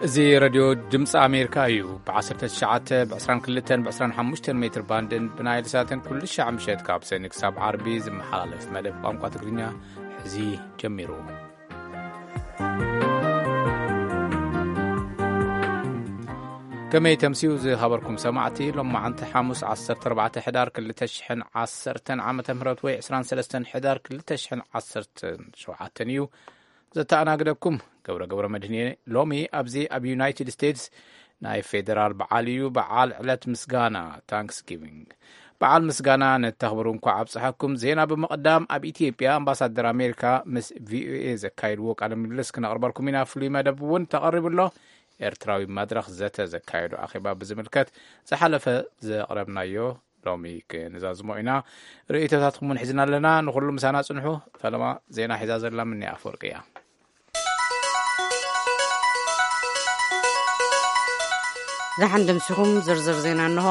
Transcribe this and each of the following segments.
እዚ ሬድዮ ድምፂ ኣሜሪካ እዩ። ብ19፣ ብ22፣ ብ25 ሜትር ባንድን ብናይል ሳትን ኩሉ ሻዕ ምሸት ካብ ሰኒ ክሳብ ዓርቢ ዝመሓላለፍ መደብ ቋንቋ ትግርኛ ሕዚ ጀሚሩ። ከመይ ተምስዩ ዝኸበርኩም ሰማዕቲ፣ ሎማዓንቲ ሓሙስ ዓሰርተ ኣርባዕተ ሕዳር ክልተ ሽሕን ዓሰርተን ዓመተ ምህረት ወይ ዕስራን ሰለስተን ሕዳር ክልተ ሽሕን ዓሰርተን ሸውዓተን እዩ። ዘተኣናግደኩም ገብረ ገብረ መድህን እየ። ሎሚ ኣብዚ ኣብ ዩናይትድ ስቴትስ ናይ ፌደራል በዓል እዩ። በዓል ዕለት ምስጋና፣ ታንክስጊቪንግ። በዓል ምስጋና ነተኽብሩ እንኳዕ ኣብፀሐኩም። ዜና ብምቕዳም፣ ኣብ ኢትዮጵያ ኣምባሳደር ኣሜሪካ ምስ ቪኦኤ ዘካየድዎ ቃለ ምልልስ ክነቕርበልኩም ኢና። ፍሉይ መደብ እውን ተቐሪቡ ኣሎ። ኤርትራዊ መድረኽ ዘተ ዘካየዶ ኣኼባ ብዝምልከት ዝሓለፈ ዘቕረብናዮ ሎሚ ክንዛዝሞ ኢና። ርእይቶታትኩም እውን ሒዝና ኣለና። ንኹሉ ምሳና ጽንሑ። ፈለማ ዜና ሒዛ ዘላ ምንያ ኣፈወርቂ እያ። ደሓን ድምስኹም። ዝርዝር ዜና እንሆ።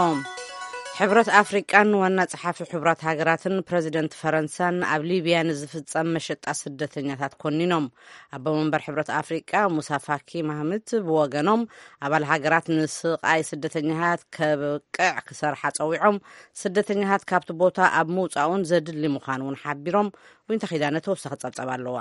ሕብረት ኣፍሪቃን ዋና ጸሓፊ ሕቡራት ሃገራትን ፕረዚደንት ፈረንሳን ኣብ ሊብያ ንዝፍጸም መሸጣ ስደተኛታት ኮኒኖም። ኣቦ መንበር ሕብረት ኣፍሪቃ ሙሳ ፋኪ ማህምት ብወገኖም፣ ኣባል ሃገራት ንስቓይ ስደተኛታት ከብቅዕ ክሰርሓ ጸዊዖም፣ ስደተኛታት ካብቲ ቦታ ኣብ ምውጻኡን ዘድሊ ምዃኑ እውን ሓቢሮም። ዊንታ ኪዳነ ተወሳኺ ጸብጸብ ኣለዋ።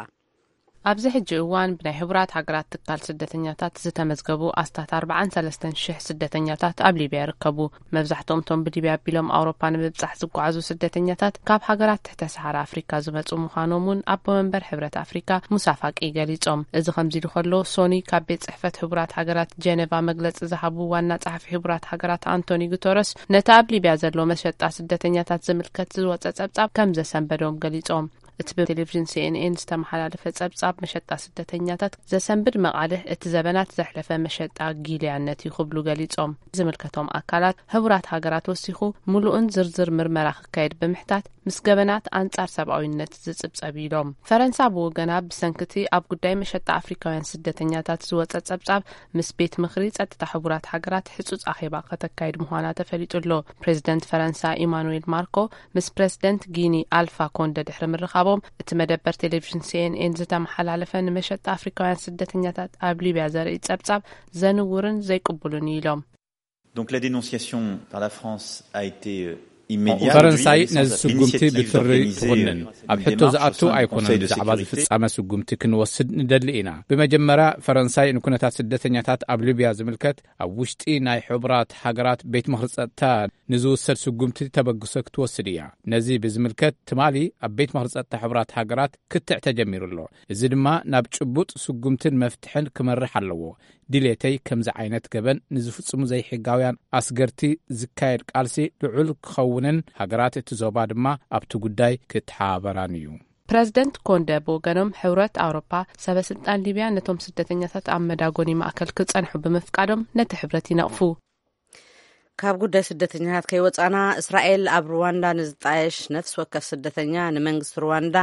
ኣብዚ ሕጂ እዋን ብናይ ሕቡራት ሃገራት ትካል ስደተኛታት ዝተመዝገቡ ኣስታት ኣርባዓን ሰለስተን ሽሕ ስደተኛታት ኣብ ሊብያ ይርከቡ። መብዛሕትኦም እቶም ብሊብያ ኣቢሎም ኣውሮፓ ንምብጻሕ ዝጓዓዙ ስደተኛታት ካብ ሃገራት ትሕተ ሰሃራ ኣፍሪካ ዝመጹ ምዃኖም እውን ኣቦ መንበር ሕብረት ኣፍሪካ ሙሳ ፋቂ ገሊጾም። እዚ ከምዚ ኢሉ ከሎ፣ ሶኒ ካብ ቤት ጽሕፈት ሕቡራት ሃገራት ጀነቫ መግለጺ ዝሃቡ ዋና ጸሓፊ ሕቡራት ሃገራት ኣንቶኒ ጉተረስ፣ ነቲ ኣብ ሊብያ ዘሎ መሸጣ ስደተኛታት ዝምልከት ዝወጸ ጸብጻብ ከም ዘሰንበዶም ገሊጾም። እቲ ብቴሌቪዥን ሲኤንኤን ዝተመሓላለፈ ጸብጻብ መሸጣ ስደተኛታት ዘሰንብድ መቓልሕ፣ እቲ ዘበናት ዘሕለፈ መሸጣ ጊልያነት እዩ ክብሉ ገሊጾም። ዝምልከቶም ኣካላት፣ ሕቡራት ሃገራት ወሲኹ፣ ምሉእን ዝርዝር ምርመራ ክካየድ ብምሕታት፣ ምስ ገበናት ኣንጻር ሰብኣዊነት ዝጽብጸብ ኢሎም። ፈረንሳ ብወገና፣ ብሰንክቲ ኣብ ጉዳይ መሸጣ ኣፍሪካውያን ስደተኛታት ዝወጸ ጸብጻብ፣ ምስ ቤት ምኽሪ ጸጥታ ሕቡራት ሃገራት ሕጹጽ ኣኼባ ከተካይድ ምዃና ተፈሊጡ ኣሎ። ፕሬዚደንት ፈረንሳ ኢማኑኤል ማርኮ ምስ ፕሬዚደንት ጊኒ ኣልፋ ኮንደ ድሕሪ ምርኻቦም፣ እቲ መደበር ቴሌቪዥን ሲኤንኤን ዝተመሓላለፈ ንመሸጣ ኣፍሪካውያን ስደተኛታት ኣብ ሊብያ ዘርኢ ጸብጻብ ዘንውርን ዘይቅቡልን እዩ ኢሎም። Donc la dénonciation par la France a été, euh, immédiate. ፈረንሳይ ነዚ ስጉምቲ ብትሪ ትኹንን። ኣብ ሕቶ ዝኣቱ ኣይኮነን። ብዛዕባ ዝፍጻመ ስጉምቲ ክንወስድ ንደሊ ኢና። ብመጀመርያ፣ ፈረንሳይ ንኩነታት ስደተኛታት ኣብ ሊብያ ዝምልከት ኣብ ውሽጢ ናይ ሕቡራት ሃገራት ቤት ምኽሪ ጸጥታ ንዝውሰድ ስጉምቲ ተበግሶ ክትወስድ እያ። ነዚ ብዝምልከት፣ ትማሊ ኣብ ቤት ምኽሪ ጸጥታ ሕቡራት ሃገራት ክትዕ ተጀሚሩ ኣሎ። እዚ ድማ ናብ ጭቡጥ ስጉምትን መፍትሕን ክመርሕ ኣለዎ። ድሌተይ፣ ከምዚ ዓይነት ገበን ንዝፍጽሙ ዘይሕጋውያን ኣስገርቲ ዝካየድ ቃልሲ ልዑል ክኸውንን፣ ሃገራት እቲ ዞባ ድማ ኣብቲ ጉዳይ ክተሓባበራን እዩ። ፕረዚደንት ኮንደ ብወገኖም፣ ሕብረት ኣውሮፓ ሰበ ስልጣን ሊብያ ነቶም ስደተኛታት ኣብ መዳጎኒ ማእከል ክጸንሑ ብምፍቃዶም ነቲ ሕብረት ይነቕፉ። ካብ ጉዳይ ስደተኛታት ከይወጻና፣ እስራኤል ኣብ ሩዋንዳ ንዝጣየሽ ነፍሲ ወከፍ ስደተኛ ንመንግስቲ ሩዋንዳ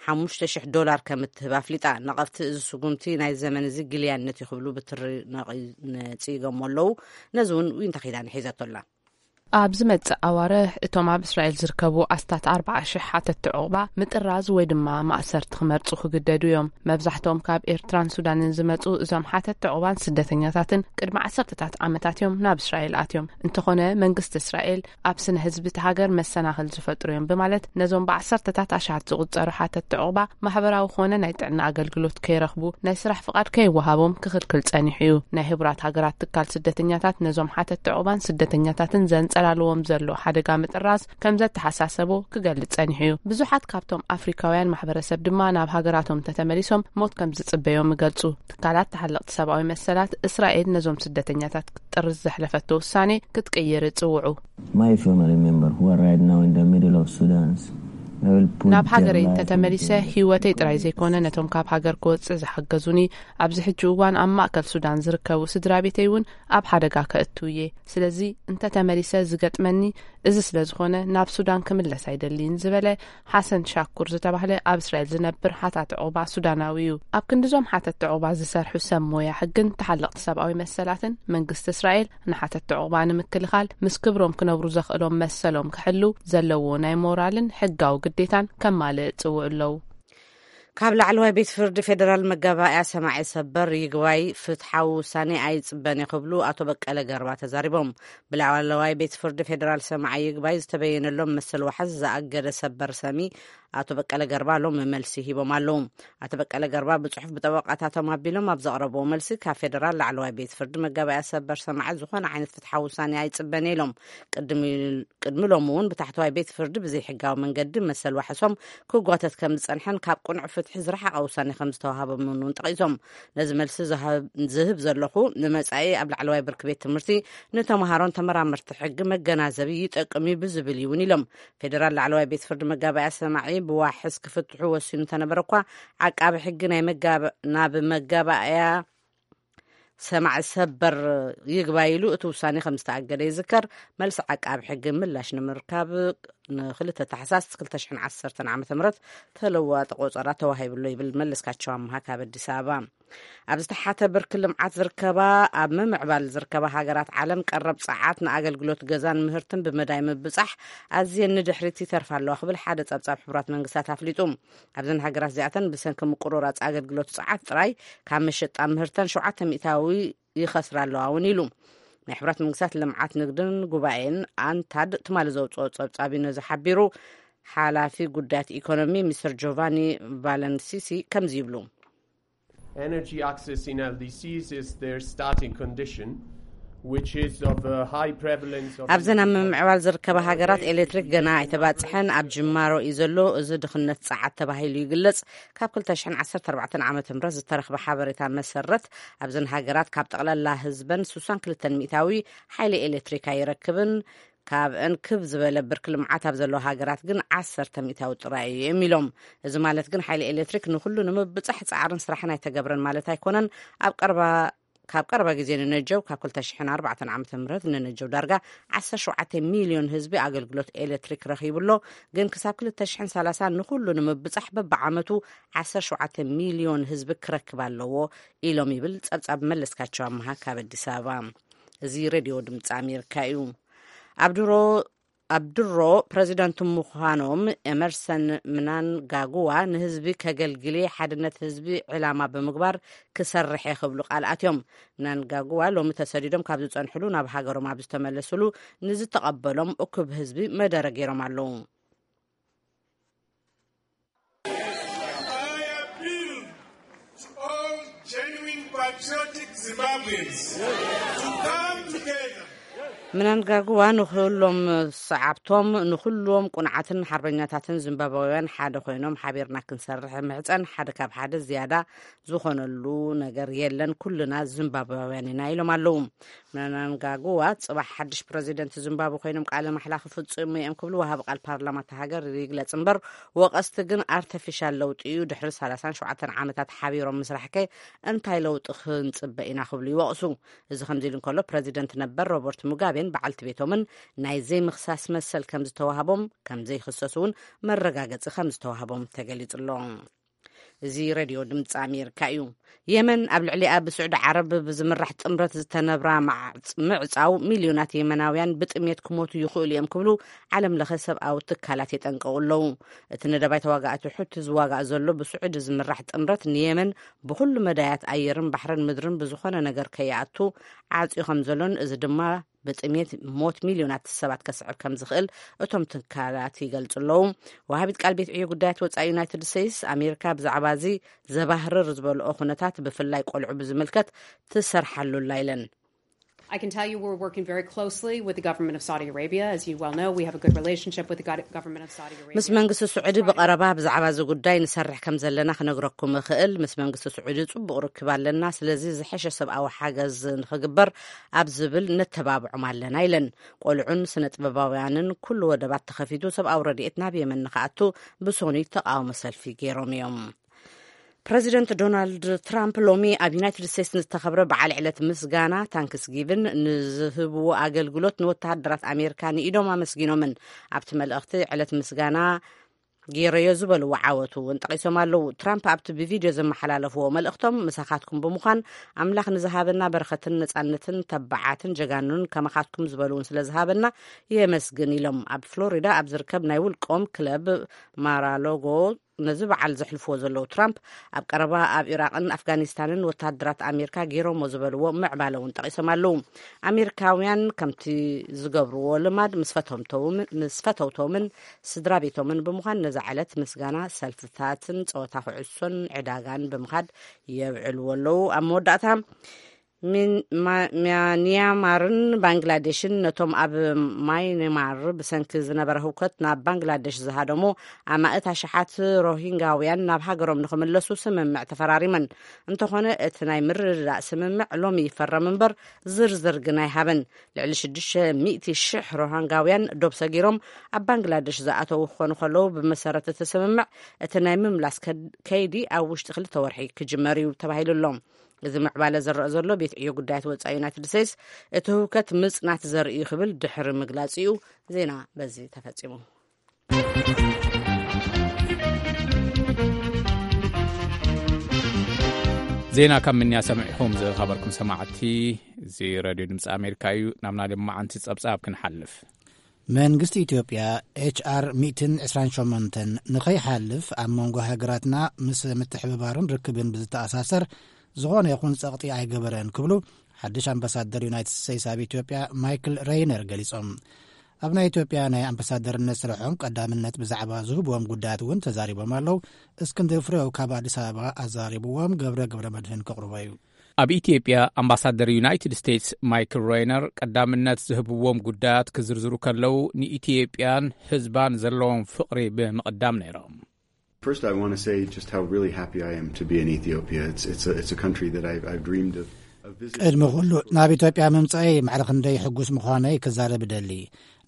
ሓሙሽተ ሽሕ ዶላር ከም እትህብ ኣፍሊጣ። ነቐፍቲ፣ እዚ ስጉምቲ ናይ ዘመን እዚ ግልያነት እዩ ክብሉ ብትሪ ነቒ-፣ ነጺጎሞ ኣለዉ። ነዚ እውን ዊንታ ኪዳነ ሒዛቶ ኣላ። ኣብ ዝመጽእ ኣዋርሕ፣ እቶም ኣብ እስራኤል ዝርከቡ ኣስታት ኣርባዓ ሽሕ ሓተትቲ ዑቕባ ምጥራዝ ወይ ድማ ማእሰርቲ ክመርጹ ክግደዱ እዮም። መብዛሕትኦም ካብ ኤርትራን ሱዳንን ዝመጹ እዞም ሓተትቲ ዑቕባን ስደተኛታትን ቅድሚ ዓሰርተታት ዓመታት እዮም ናብ እስራኤል ኣትዮም። እንተኾነ፣ መንግስቲ እስራኤል ኣብ ስነ ህዝቢ እቲ ሃገር መሰናኽል ዝፈጥሩ እዮም ብማለት፣ ነዞም ብዓሰርተታት ኣሽሓት ዝቑጸሩ ሓተትቲ ዑቕባ ማሕበራዊ ኮነ ናይ ጥዕና ኣገልግሎት ከይረኽቡ፣ ናይ ስራሕ ፍቓድ ከይወሃቦም ክኽልክል ጸኒሑ እዩ። ናይ ሕቡራት ሃገራት ትካል ስደተኛታት ነዞም ሓተትቲ ዑቕባን ስደተኛታትን ዘንጸላልዎም ዘሎ ሓደጋ ምጥራዝ ከም ዘተሓሳሰቦ ክገልጽ ጸኒሑ እዩ። ብዙሓት ካብቶም ኣፍሪካውያን ማሕበረሰብ ድማ ናብ ሃገራቶም እንተተመሊሶም ሞት ከም ዝጽበዮም ይገልጹ። ትካላት ተሓለቕቲ ሰብኣዊ መሰላት፣ እስራኤል ነዞም ስደተኛታት ክትጥርዝ ዘሕለፈቶ ውሳኔ ክትቅይር ይጽውዑ። My family member who are right now in the middle of Sudan, I will put ናብ their ሃገረይ life እንተተመሊሰ፣ in danger. ህይወተይ ጥራይ ዘይኮነ፣ ነቶም ካብ ሃገር ክወጽእ ዝሓገዙኒ፣ ኣብዚ ሕጂ እዋን ኣብ ማእከል ሱዳን ዝርከቡ ስድራ ቤተይ እውን ኣብ ሓደጋ ከእቱ እየ። ስለዚ፣ እንተተመሊሰ ዝገጥመኒ እዚ ስለ ዝኾነ፣ ናብ ሱዳን ክምለስ ኣይደልይን ዝበለ ሓሰን ሻኩር ዝተባህለ ኣብ እስራኤል ዝነብር ሓታቲ ዑቕባ ሱዳናዊ እዩ። ኣብ ክንዲዞም ሓተቲ ዑቕባ ዝሰርሑ ሰብ ሞያ ሕግን ተሓለቕቲ ሰብኣዊ መሰላትን፣ መንግስቲ እስራኤል ንሓተቲ ዑቕባ ንምክልኻል፣ ምስ ክብሮም ክነብሩ ዘኽእሎም መሰሎም ክሕልው ዘለዎ ናይ ሞራልን ሕጋዊ ግዴታን ከማልእ ጽውዑ ኣለዉ። ካብ ላዕለዋይ ቤት ፍርዲ ፌደራል መጋባእያ ሰማዒ ሰበር ይግባይ ፍትሓዊ ውሳኔ ኣይጽበን ክብሉ ኣቶ በቀለ ገርባ ተዛሪቦም። ብላዕለዋይ ቤት ፍርዲ ፌደራል ሰማዒ ይግባይ ዝተበየነሎም መሰል ዋሕስ ዝኣገደ ሰበር ሰሚ ኣቶ በቀለ ገርባ ሎም መልሲ ሂቦም ኣለዉ። ኣቶ በቀለ ገርባ ብጽሑፍ ብጠበቃታቶም ኣቢሎም ኣብ ዘቕረብዎ መልሲ፣ ካብ ፌደራል ላዕለዋይ ቤት ፍርዲ መጋባእያ ሰበር ሰማዒ ዝኾነ ዓይነት ፍትሓዊ ውሳኔ ኣይጽበን ኢሎም። ቅድሚ ቅድሚ ሎሚ እውን ብታሕተዋይ ቤት ፍርዲ ብዘይሕጋዊ መንገዲ መሰል ዋሕሶም ክጓተት ከም ዝጸንሐን ካብ ቅኑዕ ፍትሒ ዝረሓቐ ውሳኔ ከም ዝተዋሃቦምን እውን ጠቒሶም። ነዚ መልሲ ዝሃብ- ዝህብ ዘለኹ፣ ንመጻኢ ኣብ ላዕለዋይ ብርኪ ቤት ትምህርቲ ንተምሃሮን ተመራመርቲ ሕጊ መገናዘቢ ይጠቅም እዩ ብዝብል እዩ እውን ኢሎም። ፌደራል ላዕለዋይ ቤት ፍርዲ መጋባእያ ሰማዒ ብዋሕስ ክፍትሑ ወሲኑ እንተነበረ እኳ፣ ዓቃቢ ሕጊ ናይ መጋብ- ናብ መጋባእያ ሰማዒ ሰበር ይግባይ ኢሉ እቲ ውሳኔ ከም ዝተኣገደ ይዝከር። መልሲ ዓቃቢ ሕጊ ምላሽ ንምርካብ ንክልተ ታሕሳስ ክልተ ሽሕን ዓሰርተን ዓመተ ምህረት ተለዋጢ ቆጸራ ተዋሂብሎ ይብል መለስካቸው ኣምሃ ካብ ኣዲስ ኣበባ። ኣብ ዝተሓተ ብርኪ ልምዓት ዝርከባ ኣብ ምምዕባል ዝርከባ ሃገራት ዓለም ቀረብ ጸዓት ንኣገልግሎት ገዛን ምህርትን ብመዳይ ምብጻሕ ኣዝየን ንድሕሪት ይተርፋ ኣለዋ ክብል ሓደ ጸብጻብ ሕቡራት መንግስታት ኣፍሊጡ። ኣብዘን ሃገራት እዚኣተን ብሰንኪ ምቁርራጽ ኣገልግሎት ጸዓት ጥራይ ካብ መሸጣ ምህርተን ሸውዓተ ሚእታዊ ይኸስራ ኣለዋ እውን ኢሉ። ናይ ሕቡራት መንግስታት ልምዓት ንግድን ጉባኤን ኣንታድ ትማሊ ዘውፅኦ ጸብጻብ እዩ ነዚ ሓቢሩ። ሓላፊ ጉዳያት ኢኮኖሚ ሚስተር ጆቫኒ ቫለንሲሲ ከምዚ ይብሉ። Energy access in L D Cs is their starting condition, which is of a high prevalence of ኣብዘን ኣብ ምምዕባል ዝርከባ ሃገራት ኤሌክትሪክ ገና ኣይተባፅሐን፣ ኣብ ጅማሮ እዩ ዘሎ። እዚ ድኽነት ፀዓት ተባሂሉ ይግለጽ። ካብ ክልተ ሽሕን ዓሰርተ ኣርባዕተን ዓመተ ምህረት ዝተረኽበ ሓበሬታ መሰረት፣ ኣብዘን ሃገራት ካብ ጠቕላላ ህዝበን ስሳን ክልተን ሚእታዊ ሓይሊ ኤሌክትሪክ ኣይረክብን። ካብአን ክብ ዝበለ ብርኪ ልምዓት ኣብ ዘለዎ ሃገራት ግን ዓሰርተ ሚእታዊ ጥራይ እዮም ኢሎም። እዚ ማለት ግን ሓይሊ ኤሌክትሪክ ንኹሉ ንምብጻሕ ጻዕርን ስራሕን ኣይተገብረን ማለት ኣይኮነን። ኣብ ቀረባ ካብ ቀረባ ግዜ ንነጀው፣ ካብ ክልተ ሽሕን ኣርባዕተን ዓመተ ምህረት ንነጀው ዳርጋ ዓሰርተ ሸውዓተ ሚልዮን ህዝቢ ኣገልግሎት ኤሌክትሪክ ረኺቡ ኣሎ። ግን ክሳብ ክልተ ሽሕን ሰላሳን ንኹሉ ንምብጻሕ በብዓመቱ ዓሰርተ ሸውዓተ ሚልዮን ህዝቢ ክረክብ ኣለዎ ኢሎም ይብል ጸብጻብ መለስካቸው ኣምሃ ካብ ኣዲስ ኣበባ። እዚ ሬድዮ ድምፂ ኣሜሪካ እዩ። ኣብ ድሮ ኣብ ድሮ ፕረዚደንት ምዃኖም ኤመርሰን ምናንጋጉዋ ንህዝቢ ከገልግል እየ፣ ሓድነት ህዝቢ ዕላማ ብምግባር ክሰርሕ እየ ክብሉ ቃል ኣትዮም። ምናንጋጉዋ ሎሚ ተሰዲዶም ካብ ዝጸንሕሉ ናብ ሃገሮም ኣብ ዝተመለስሉ ንዝተቐበሎም እኩብ ህዝቢ መደረ ገይሮም ኣለዉ። I appeal to all genuine patriotic Zimbabweans to come together. ምናንጋጉዋ ንኹሎም ሰዓብቶም፣ ንኹሎም ቁንዓትን ሓርበኛታትን ዚምባብያውያን ሓደ ኮይኖም ሓቢርና ክንሰርሕ ምሕፀን፣ ሓደ ካብ ሓደ ዝያዳ ዝኾነሉ ነገር የለን፣ ኩልና ዚምባብያውያን ኢና ኢሎም ኣለዉ። ምናንጋጉዋ ጽባሕ ሓድሽ ፕረዚደንት ዚምባብወ ኮይኖም ቃለ ማሕላ ክፍጽሙ እዮም ክብሉ ወሃቢ ቃል ፓርላማ እታ ሃገር ይግለጽ እምበር፣ ወቐስቲ ግን ኣርተፊሻል ለውጢ እዩ፣ ድሕሪ ሰላሳን ሸውዓተን ዓመታት ሓቢሮም ምስራሕ ከ እንታይ ለውጢ ክንጽበ ኢና ክብሉ ይወቕሱ። እዚ ከምዚ ኢሉ እንከሎ፣ ፕረዚደንት ነበር ሮበርት ሙጋቤን በዓልቲ ቤቶምን ናይ ዘይምኽሳስ መሰል ከም ዝተዋህቦም፣ ከም ዘይኽሰሱ እውን መረጋገጺ ከም ዝተዋህቦም ተገሊጹ ኣሎ። እዚ ሬድዮ ድምፂ ኣሜሪካ እዩ። የመን ኣብ ልዕሊኣ ብስዑዲ ዓረብ ብዝምራሕ ጥምረት ዝተነብራ ማዕ- ምዕፃው፣ ሚልዮናት የመናውያን ብጥሜት ክሞቱ ይኽእሉ እዮም ክብሉ ዓለም ለኸ ሰብኣዊ ትካላት የጠንቀቑ ኣለዉ። እቲ ንደባይ ተዋጋእቲ ሑቲ ዝዋጋእ ዘሎ ብስዑዲ ዝምራሕ ጥምረት ንየመን ብኹሉ መዳያት ኣየርን ባሕርን ምድርን ብዝኾነ ነገር ከይኣቱ ዓፅዩ ከም ዘሎን፣ እዚ ድማ ብጥሜት ሞት ሚልዮናት ሰባት ከስዕብ ከም ዝኽእል እቶም ትካላት ይገልጹ ኣለዉ። ወሃቢት ቃል ቤት ዕዮ ጉዳያት ወጻኢ ዩናይትድ ስቴትስ፣ ኣሜሪካ ብዛዕባ እዚ ዘባህርር ዝበልኦ ኩነታት፣ ብፍላይ ቆልዑ ብዝምልከት ትሰርሓሉ ኣላ ኢለን። I can tell you we're working very closely with the government of Saudi Arabia. As you well know, we have a good relationship with the go- government of Saudi Arabia. ምስ መንግስቲ ስዑዲ ብቐረባ ብዛዕባ እዚ ጉዳይ ንሰርሕ ከም ዘለና ክነግረኩም እኽእል። ምስ መንግስቲ ስዑዲ ጽቡቕ ርክብ ኣለና። ስለዚ ዝሐሸ ሰብኣዊ ሓገዝ ንኽግበር ኣብ ዝብል ነተባብዖም ኣለና ኢለን። ቆልዑን ስነ ጥበባውያንን ኩሉ ወደባት ተኸፊቱ ሰብኣዊ ረድኤት ናብ የመን ንኽኣቱ ብሶኑይ ተቃውሞ ሰልፊ ገይሮም እዮም። ፕረዚደንት ዶናልድ ትራምፕ ሎሚ ኣብ ዩናይትድ ስቴትስ ንዝተኸብረ በዓል ዕለት ምስጋና ታንክስጊቭን ንዝህብዎ ኣገልግሎት ንወተሃደራት ኣሜሪካ ንኢዶም ኣመስጊኖምን ኣብቲ መልእኽቲ ዕለት ምስጋና ገይረዮ ዝበልዎ ዓወት እውን ጠቒሶም ኣለዉ። ትራምፕ ኣብቲ ብቪድዮ ዘመሓላለፍዎ መልእኽቶም፣ ምሳኻትኩም ብምዃን ኣምላኽ ንዝሃበና በረኸትን ነጻነትን ተባዓትን ጀጋኑን ከማኻትኩም ዝበሉ እውን ስለ ዝሃበና የመስግን ኢሎም። ኣብ ፍሎሪዳ ኣብ ዝርከብ ናይ ውልቆም ክለብ ማራሎጎ ነዚ በዓል ዘሕልፍዎ ዘለዉ ትራምፕ፣ ኣብ ቀረባ ኣብ ኢራቕን ኣፍጋኒስታንን ወተሃደራት ኣሜሪካ ገይሮሞ ዝበልዎ ምዕባለ እውን ጠቒሶም ኣለዉ። ኣሜሪካውያን ከምቲ ዝገብርዎ ልማድ ምስ ፈተውቶምን፣ ምስ ፈተውቶምን ስድራ ቤቶምን ብምዃን ነዛ ዕለት ምስጋና ሰልፍታትን ጸወታ ኩዕሶን ዕዳጋን ብምኻድ የብዕልዎ ኣለዉ። ኣብ መወዳእታ፣ ሚን-፣ ማ-፣ ሚያንያማርን ባንግላዴሽን ነቶም ኣብ ማይንማር ብሰንኪ ዝነበረ ህውከት ናብ ባንግላዴሽ ዝሃደሙ ኣማእት ኣሽሓት ሮሂንጋውያን ናብ ሃገሮም ንኽምለሱ ስምምዕ ተፈራሪመን። እንተኾነ፣ እቲ ናይ ምርድዳእ ስምምዕ ሎሚ ይፈረም እምበር ዝርዝር ግን ኣይሃበን። ልዕሊ ሽዱሽተ ሚእቲ ሽሕ ሮሂንጋውያን ዶብ ሰጊሮም ኣብ ባንግላዴሽ ዝኣተዉ ክኾኑ ከለዉ፣ ብመሰረት እቲ ስምምዕ እቲ ናይ ምምላስ ከድ-፣ ከይዲ ኣብ ውሽጢ ክልተ ወርሒ ክጅመር እዩ ተባሂሉ ኣሎ። እዚ ምዕባለ ዝረአ ዘሎ ቤት ዕዮ ጉዳያት ወጻኢ ዩናይትድ ስቴትስ እቲ ህውከት ምጽናት ዘርኢ እዩ ክብል ድሕሪ ምግላጽ እዩ። ዜና በዚ ተፈጺሙ። ዜና ካብ ምንያ ሰሚዕኹም ዝኸበርኩም ሰማዕቲ፣ እዚ ሬድዮ ድምፂ ኣሜሪካ እዩ። ናብ ናይ ሎማዓንቲ ጸብጻብ ክንሓልፍ። መንግስቲ ኢትዮጵያ ኤች ኣር ሚእትን ዕስራን ሸሞንተን ንኸይሓልፍ ኣብ መንጎ ሃገራትና ምስ ምትሕብባርን ርክብን ብዝተኣሳሰር ዝኾነ ይኹን ጸቕጢ ኣይገበረን ክብሉ ሓድሽ ኣምባሳደር ዩናይትድ ስቴትስ ኣብ ኢትዮጵያ ማይክል ሬይነር ገሊጾም። ኣብ ናይ ኢትዮጵያ ናይ ኣምባሳደርነት ስርሖም ቀዳምነት ብዛዕባ ዝህብዎም ጉዳያት እውን ተዛሪቦም ኣለዉ። እስክንድር ፍሬው ካብ ኣዲስ ኣበባ ኣዛሪብዎም፣ ገብረ ገብረ መድህን ከቕርቦ እዩ። ኣብ ኢትዮጵያ ኣምባሳደር ዩናይትድ ስቴትስ ማይክል ሬይነር ቀዳምነት ዝህብዎም ጉዳያት ክዝርዝሩ ከለዉ፣ ንኢትዮጵያን ህዝባን ዘለዎም ፍቕሪ ብምቕዳም ነይሮም። First, I want to say just how really happy I am to be in Ethiopia. It's, it's a, it's a country that I've, I've dreamed of, of visiting. ቅድሚ ኩሉ፣ ናብ ኢትዮጵያ ምምጻኤ ማዕረ ክንደይ ሕጉስ ምዃነይ ክዛረብ እደሊ።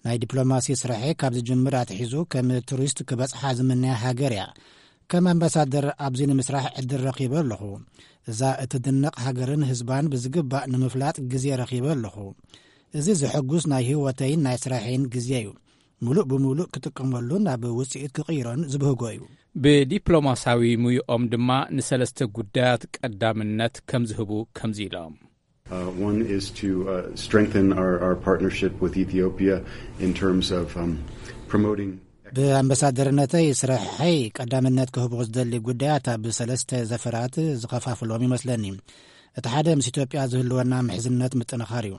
ናይ ዲፕሎማሲ ስራሐይ ካብ ዝጅምር ኣትሒዙ ከም ቱሪስት ክበጽሓ ዝምነያ ሃገር እያ። ከም ኣምባሳደር ኣብዚ ንምስራሕ ዕድል ረኺበ ኣለኹ። እዛ እትድነቕ ሃገርን ህዝባን ብዝግባእ ንምፍላጥ ግዜ ረኺበ ኣለኹ። እዚ ዘሐጉስ ናይ ህይወተይን ናይ ስራሐይን ግዜ እዩ። ምሉእ ብምሉእ ክጥቀመሉን ናብ ውጽኢት ክቕይሮን ዝብህጎ እዩ። ብዲፕሎማሳዊ ሙይኦም ድማ ንሰለስተ ጉዳያት ቀዳምነት ከም ዝህቡ ከምዚ ኢሎም። Uh, one is to, uh, strengthen our, our partnership with Ethiopia in terms of, um, promoting ብኣምባሳደርነተይ ስራሐይ ቀዳምነት ክህቦ ዝደሊ ጉዳያት ኣብ ሰለስተ ዘፈራት ዝኸፋፍሎም ይመስለኒ። እቲ ሓደ ምስ ኢትዮጵያ ዝህልወና ምሕዝነት ምጥንኻር እዩ።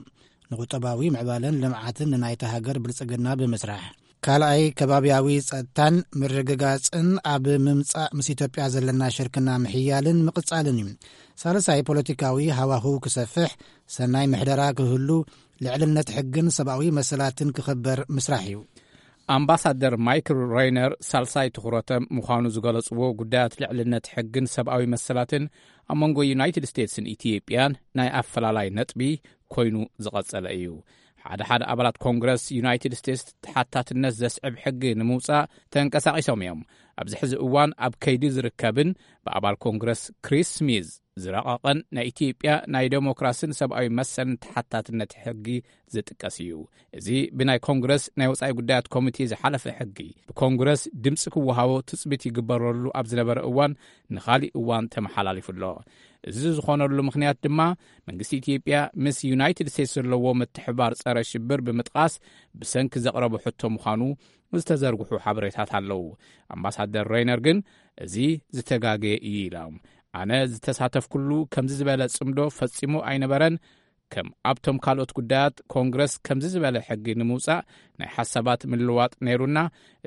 ንቁጠባዊ ምዕባለን ልምዓትን ንናይታ ሃገር ብልጽግና ብምስራሕ። ካልኣይ፣ ከባብያዊ ጸጥታን ምርግጋጽን ኣብ ምምጻእ ምስ ኢትዮጵያ ዘለና ሽርክና ምሕያልን ምቕጻልን እዩ። ሳልሳይ፣ ፖለቲካዊ ሃዋህው ክሰፍሕ፣ ሰናይ ምሕደራ ክህሉ፣ ልዕልነት ሕግን ሰብኣዊ መሰላትን ክኽበር ምስራሕ እዩ። ኣምባሳደር ማይክል ሬይነር ሳልሳይ ትኹረቶም ምዃኑ ዝገለጽዎ ጉዳያት ልዕልነት ሕግን ሰብኣዊ መሰላትን ኣብ መንጎ ዩናይትድ ስቴትስን ኢትዮጵያን ናይ ኣፈላላይ ነጥቢ ኮይኑ ዝቐጸለ እዩ። ሓደ ሓደ ኣባላት ኮንግረስ ዩናይትድ ስቴትስ ተሓታትነት ዘስዕብ ሕጊ ንምውጻእ ተንቀሳቒሶም እዮም። ኣብዚ ሕዚ እዋን ኣብ ከይዲ ዝርከብን ብኣባል ኮንግረስ ክሪስ ስሚዝ ዝረቐቐን ናይ ኢትዮጵያ ናይ ዴሞክራስን ሰብኣዊ መሰልን ተሓታትነት ሕጊ ዝጥቀስ እዩ። እዚ ብናይ ኮንግረስ ናይ ወጻኢ ጉዳያት ኮሚቴ ዝሓለፈ ሕጊ ብኮንግረስ ድምፂ ክወሃቦ ትፅቢት ይግበረሉ ኣብ ዝነበረ እዋን ንኻሊእ እዋን ተመሓላሊፉ ኣሎ። እዚ ዝኾነሉ ምኽንያት ድማ መንግስቲ ኢትዮጵያ ምስ ዩናይትድ ስቴትስ ዘለዎ ምትሕባር ጸረ ሽብር ብምጥቓስ ብሰንኪ ዘቕረቦ ሕቶ ምዃኑ ዝተዘርግሑ ሓበሬታት ኣለዉ። ኣምባሳደር ሬይነር ግን እዚ ዝተጋገየ እዩ ኢሎም። ኣነ ዝተሳተፍኩሉ ከምዚ ዝበለ ጽምዶ ፈጺሙ ኣይነበረን። ከም ኣብቶም ካልኦት ጉዳያት ኮንግረስ ከምዚ ዝበለ ሕጊ ንምውጻእ ናይ ሓሳባት ምልዋጥ ነይሩና።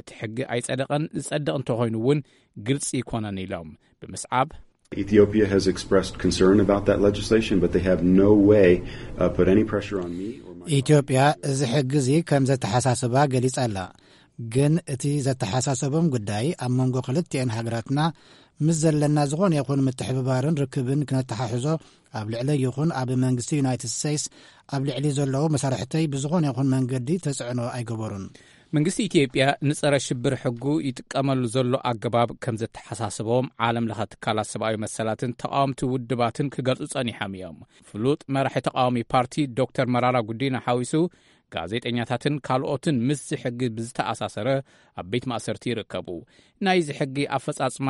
እቲ ሕጊ ኣይጸደቐን፣ ዝጸድቕ እንተኾይኑ እውን ግልጺ ኣይኮነን ኢሎም ብምስዓብ Ethiopia has expressed concern about that legislation, but they have no way, uh, put any pressure on me or my ኢትዮጵያ እዚ ሕጊ እዚ ከም ዘተሓሳስባ ገሊጻ ኣላ። ግን እቲ ዘተሓሳሰቦም ጉዳይ ኣብ መንጎ ክልቲኤን ሃገራትና ምስ ዘለና ዝኾነ ይኹን ምትሕብባርን ርክብን ክነተሓሕዞ ኣብ ልዕለይ ይኹን ኣብ መንግስቲ ዩናይትድ ስቴትስ ኣብ ልዕሊ ዘለዉ መሳርሕተይ ብዝኾነ ይኹን መንገዲ ተጽዕኖ ኣይገበሩን። መንግስቲ ኢትዮጵያ ንጸረ ሽብር ሕጉ ይጥቀመሉ ዘሎ ኣገባብ ከም ዘተሓሳስቦም ዓለም ለኸ ትካላት ሰብኣዊ መሰላትን ተቃወምቲ ውድባትን ክገልጹ ጸኒሖም እዮም። ፍሉጥ መራሒ ተቃዋሚ ፓርቲ ዶክተር መራራ ጉዲና ሓዊሱ ጋዜጠኛታትን ካልኦትን ምስዚ ሕጊ ብዝተኣሳሰረ ኣብ ቤት ማእሰርቲ ይርከቡ። ናይዚ ሕጊ ኣፈጻጽማ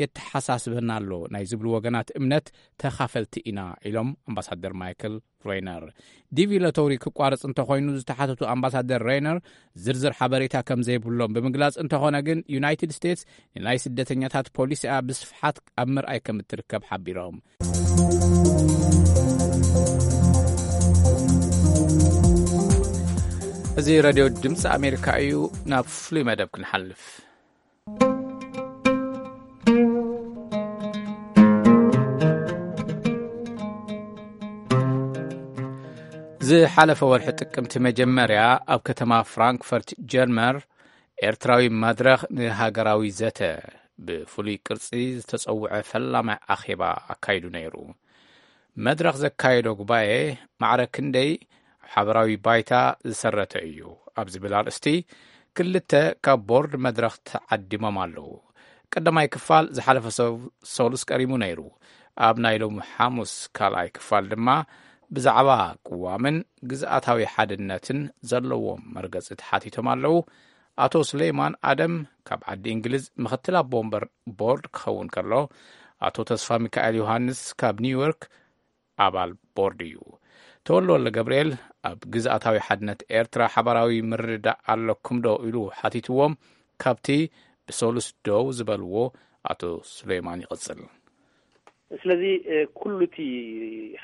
የተሓሳስበና ኣሎ ናይ ዝብሉ ወገናት እምነት ተኻፈልቲ ኢና ኢሎም ኣምባሳደር ማይክል ሬይነር። ዲቪ ሎተሪ ክቋረጽ እንተኾይኑ ዝተሓተቱ ኣምባሳደር ሬይነር ዝርዝር ሓበሬታ ከም ዘይብሎም ብምግላጽ፣ እንተኾነ ግን ዩናይትድ ስቴትስ ንናይ ስደተኛታት ፖሊሲኣ ብስፍሓት ኣብ ምርኣይ ከም እትርከብ ሓቢሮም። እዚ ሬድዮ ድምፂ ኣሜሪካ እዩ። ናብ ፍሉይ መደብ ክንሓልፍ። ዝሓለፈ ወርሒ ጥቅምቲ መጀመርያ ኣብ ከተማ ፍራንክፈርት ጀርመን ኤርትራዊ መድረኽ ንሃገራዊ ዘተ ብፍሉይ ቅርጺ ዝተጸውዐ ፈላማይ ኣኼባ ኣካይዱ ነይሩ። መድረኽ ዘካየዶ ጉባኤ ማዕረ ክንደይ ኣብ ሓበራዊ ባይታ ዝሰረተ እዩ ኣብ ዝብል ኣርእስቲ ክልተ ካብ ቦርድ መድረኽ ተዓዲሞም ኣለዉ። ቀዳማይ ክፋል ዝሓለፈ ሰው-፣ ሰሉስ ቀሪሙ ነይሩ። ኣብ ናይ ሎሚ ሓሙስ ካልኣይ ክፋል ድማ ብዛዕባ ቅዋምን ግዝኣታዊ ሓድነትን ዘለዎም መርገጺ ተሓቲቶም ኣለዉ። ኣቶ ሱሌይማን ኣደም ካብ ዓዲ እንግሊዝ ምኽትል ኣቦ ወንበር ቦርድ ክኸውን ከሎ፣ ኣቶ ተስፋ ሚካኤል ዮሃንስ ካብ ኒውዮርክ ኣባል ቦርድ እዩ። ተወልደ ወልደ ገብርኤል ኣብ ግዝኣታዊ ሓድነት ኤርትራ ሓባራዊ ምርድዳእ ኣለኩም ዶ ኢሉ ሓቲትዎም፣ ካብቲ ብሰሉስ ደው ዝበልዎ ኣቶ ሱሌይማን ይቕጽል። ስለዚ፣ እ፣ ኩሉ እቲ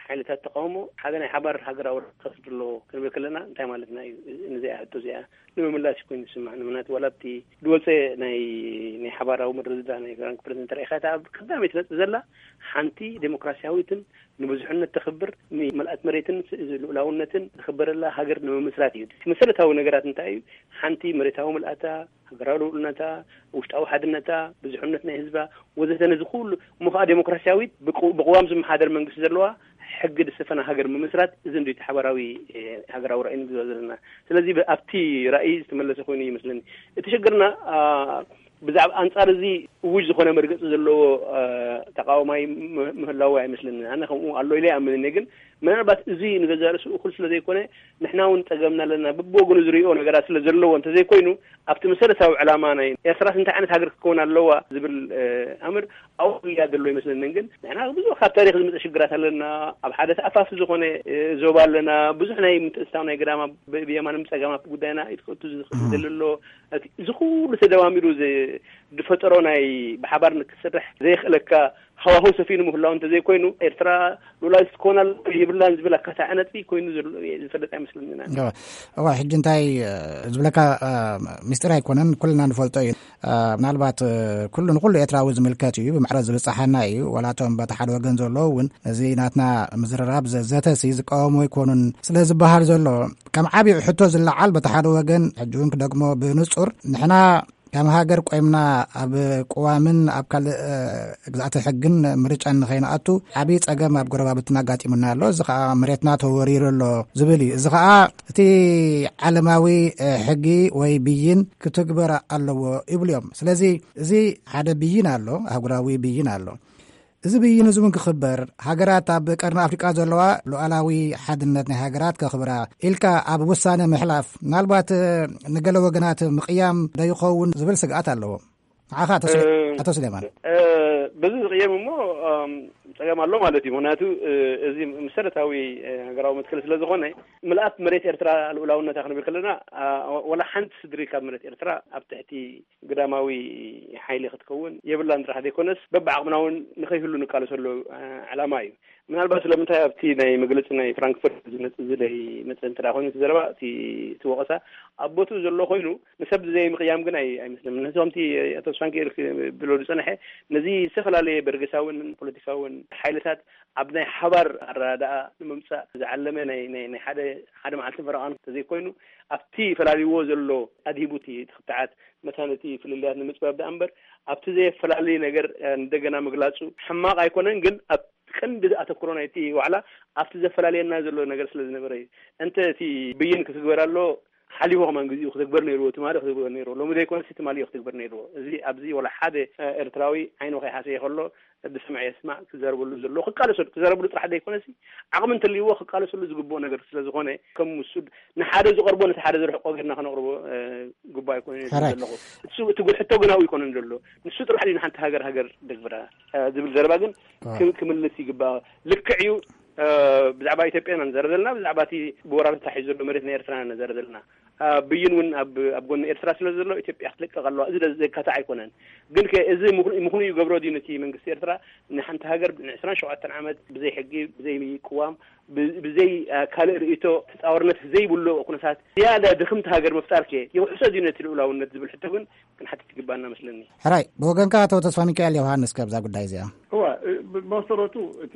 ሓይልታት ተቃውሞ ሓደ ናይ ሓባር ሃገራዊ ርክብ ዘለዎ ክንብል ከለና እንታይ ማለትና እዩ? ነዚኣ ሕቶ እዚኣ ንምምላስ እዩ ኮይኑ ዝስማዕ። ንምክንያቱ ዋላ ኣብቲ ዝወፀ ናይ፣ ናይ ሓባራዊ ምርድዳእ ናይ ፍራንክፈርት እንተረኢኻ፣ እታ ኣብ ቀዳመይቲ ነጥቢ ዘላ ሓንቲ ዴሞክራሲያዊትን ንብዙሕነት ተኽብር፣ ንመልኣት መሬትን ስ-፣ ልኡላውነትን ዝኽበረላ ሃገር ንምምስራት እዩ። እቲ መሰረታዊ ነገራት እንታይ እዩ? ሓንቲ መሬታዊ ምልኣታ፣ ሃገራዊ ልኡልነታ፣ ውሽጣዊ ሓድነታ፣ ብዙሕነት ናይ ህዝባ ወዘተ፣ ነዚ ኩሉ እሞ ኸዓ ዴሞክራሲያዊት ብቅ-፣ ብቅዋም ዝመሓደር መንግስቲ ዘለዋ ሕጊ ዝሰፈና ሃገር ምምስራት፣ እዚ እንዲ እቲ ሓባራዊ፣ እ፣ ሃገራዊ ራእይ ንግዛእ ዘለና። ስለዚ ብ-፣ ኣብቲ ራእይ ዝተመለሰ ኮይኑ ይመስለኒ። እቲ ሽግርና፣ አ፣ ብዛዕባ ኣንጻር እዚ እውጅ ዝኾነ መርገጺ ዘለዎ፣ አ፣ ተቃዋማይ ም-፣ ምህላዉ ኣይመስለኒ። ኣነ ከምኡ ኣሎ ኢለ ኣይኣምንን እየ። ግን ምናልባት እዚ ንገዛእ ርእሱ እኹል ስለ ዘይኮነ፣ ንሕና እውን ጸገምና ኣለና፣ በብወገኑ ዝሪኦ ነገራት ስለ ዘለዎ እንተዘይኮይኑ፣ ኣብቲ መሰረታዊ ዕላማ ናይ ኤርትራስ እንታይ ዓይነት ሃገር ክትከውን ኣለዋ ዝብል፣ እ፣ ኣምር ኣብኡ ጉያ ዘሎ ይመስለንን። ግን ንሕና ብዙሕ ካብ ታሪኽ ዝመጸ ሽግራት ኣለና። ኣብ ሓደ ተኣፋፊ ዝኾነ፣ እ፣ ዞባ ኣለና። ብዙሕ ናይ ምትእስሳብ ናይ ግዳማ ብ-፣ ብየማንን ብጸጋም ኣብቲ ጉዳይና ኢድ ክእቱ ዝኽእል እም። ዘሎ ኣሎ። እቲ፣ እዚ ኩሉ ተደማሚሩ ዝ-፣ ዝፈጠሮ ናይ ብሓባር ንክትሰርሕ ዘየኽእለካ ሃዋህው ሰፊኑ ምህላው እንተዘይኮይኑ፣ ኤርትራ ሉላዊት ክትኮን ኣለዋ የብላን ዝብል ኣካታዒ ነጥቢ ኮይኑ ዘሎ ዝፈልጥ ኣይመስለንን። እወ፣ እወ፣ ሕጂ እንታይ፣ እ፣ ዝብለካ፣ እ፣ ምስጢር ኣይኮነን፣ ኩልና ንፈልጦ እዩ። እ፣ ምናልባት፣ እ፣ ኩሉ ንኩሉ ኤርትራዊ ዝምልከት እዩ፣ ብማዕረ ዝብጻሓና እዩ። ዋላ እቶም በቲ ሓደ ወገን ዘለዉ እውን ነዚ ናትና ምዝርራብ ዘ-፣ ዘተሲ ዝቃወሙ ኣይኮኑን ስለ ዝበሃል ዘሎ፣ ከም ዓቢ ሕቶ ዝለዓል በቲ ሓደ ወገን፣ ሕጂ እውን ክደግሞ ብንጹር፣ ንሕና ከም ሃገር ቆይምና ኣብ ቅዋምን ኣብ ካልእ፣ እ፣ ግዝኣተ ሕግን ምርጫን ንኸይንኣቱ ዓብዪ ጸገም ኣብ ጎረባብትና ኣጋጢሙና ኣሎ። እዚ ኸኣ መሬትና ተወሪሩ ኣሎ ዝብል እዩ። እዚ ኸኣ እቲ ዓለማዊ፣ እ፣ ሕጊ ወይ ብይን ክትግበር ኣለዎ ይብሉ እዮም። ስለዚ እዚ ሓደ ብይን ኣሎ፣ ኣህጉራዊ ብይን ኣሎ። እዚ ብይን እዚ እውን ክኽበር፣ ሃገራት ኣብ ቀርኒ ኣፍሪቃ ዘለዋ ሉዓላዊ ሓድነት ናይ ሃገራት ከኽብራ ኢልካ ኣብ ውሳነ ምሕላፍ፣ ምናልባት፣ እ፣ ንገለ ወገናት ምቕያም ዶ ይኸውን ዝብል ስግኣት ኣለዎ። ንዓኻ ኣቶ ስለ-፣ እ፣ ኣቶ ስሌማን። እ፣ በዚ ዝቕየም እሞ፣ እም፣ ጸገም ኣሎ ማለት እዩ። ምኽንያቱ፣ እ፣ እዚ መሰረታዊ፣ እ፣ ሃገራዊ መትከል ስለ ዝኾነ፣ ምልኣት መሬት ኤርትራ ልኡላውነታ ክንብል ከለና፣ አ፣ ወላ ሓንቲ ስድሪ ካብ መሬት ኤርትራ ኣብ ትሕቲ ግዳማዊ ሓይሊ ክትከውን የብላን ጥራሕ ዘይኮነስ፣ በብዓቕምና እውን ንኸይህሉ ንቃለሰሉ፣ እ፣ ዕላማ እዩ። ምናልባት ስለምንታይ ኣብቲ ናይ መግለጺ ናይ ፍራንክፈርት ዝመጽእ ዝለይ መጽእ እንተ ደኣ ኮይኑ እቲ ዘረባ፣ እቲ፣ እቲ ወቐሳ ኣብ ቦትኡ ዘሎ ኮይኑ፣ ንሰብ ዘይምቕያም ግን ኣይ-፣ ኣይመስልን። ነቶም እቲ ኣቶ ስፋንኪኤል ክብሎ ዝጸንሐ፣ ነዚ ዝተፈላለየ በርገሳውን ፖለቲካውን ሓይልታት ኣብ ናይ ሓባር ኣረዳድኣ ንምምጻእ ዝዓለመ ናይ፣ ናይ፣ ናይ ሓደ፣ ሓደ መዓልትን ፈረቓን እንተዘይኮይኑ፣ ኣብቲ ፈላልይዎ ዘሎ ኣድሂቡ እቲ፣ እቲ ክትዓት መታን እቲ ፍልልያት ንምጽባብ ደኣ እምበር፣ ኣብቲ ዘየፈላሊ ነገር፣ እ፣ እንደገና ምግላጹ ሕማቕ ኣይኮነን፣ ግን ኣብ ቀንዲ ኣተኩሮ ናይቲ ዋዕላ ኣብቲ ዘፈላልየና ዘሎ ነገር ስለ ዝነበረ እዩ። እንተ እቲ ብይን ክትግበር ኣሎ፣ ሓሊፉ ከማን ግዜኡ ክትግበር ነይርዎ፣ ትማሊ ክትግበር ነይርዎ፣ ሎሚ ዘይኮነሲ ትማሊ እዩ ክትግበር ነይርዎ። እዚ ኣብዚ ወላ ሓደ ኤርትራዊ ዓይኑ ከይሓሰየ ከሎ ብስምዒ የስማዕ ክዛረበሉ ዘለዎ ክቃለሰሉ ክዛረበሉ ጥራሕ ዘይኮነሲ ዓቕሚ እንተልይዎ ክቃለሰሉ ዝግብኦ ነገር ስለ ዝኾነ ከም ውሱድ ንሓደ ዝቐርቦ ነቲ ሓደ ዝርሕቆ ጌርና ከነቕርቦ ግቡእ ኣይኮነን ዘለኹ። እሱ እቲ ሕቶ ግን ኣብኡ ኣይኮነን ዘሎ። ንሱ ጥራሕ እዩ ንሓንቲ ሃገር ሃገር ደግብራ ዝብል ዘረባ ግን ክምልስ ይግባእ። ልክዕ እዩ። ብዛዕባ ኢትዮጵያ ኢና ንዛረብ ዘለና፣ ብዛዕባ እቲ ብወራር ተታሒዙ ዘሎ መሬት ናይ ኤርትራ ኢና ንዛረብ ዘለና። ብይን እውን ኣብ ጎኒ ኤርትራ ስለ ዘሎ ኢትዮጵያ ክትልቀቕ ኣለዋ። እዚ ዘካትዕ ኣይኮነን። ግን እዚ ምኽንዩ ይገብሮ ድዩ ነቲ መንግስቲ ኤርትራ ንሓንቲ ሃገር ንዕስራን ሸውዓተን ዓመት ብዘይ ሕጊ፣ ብዘይ ቅዋም፣ ብዘይ ካልእ ርእይቶ ተፃዋርነት ዘይብሉ ኩነታት ዝያዳ ድኽምቲ ሃገር ምፍጣር ከ የውሕሶ ድዩ ነቲ ልኡላውነት ዝብል ሕቶ ግን ክንሓትት ይግባና መስለኒ። ሕራይ፣ ብወገንካ ኣቶ ተስፋ ሚካኤል ዮሃንስ ከብዛ ጉዳይ እዚኣ? እዋ፣ ብመሰረቱ እቲ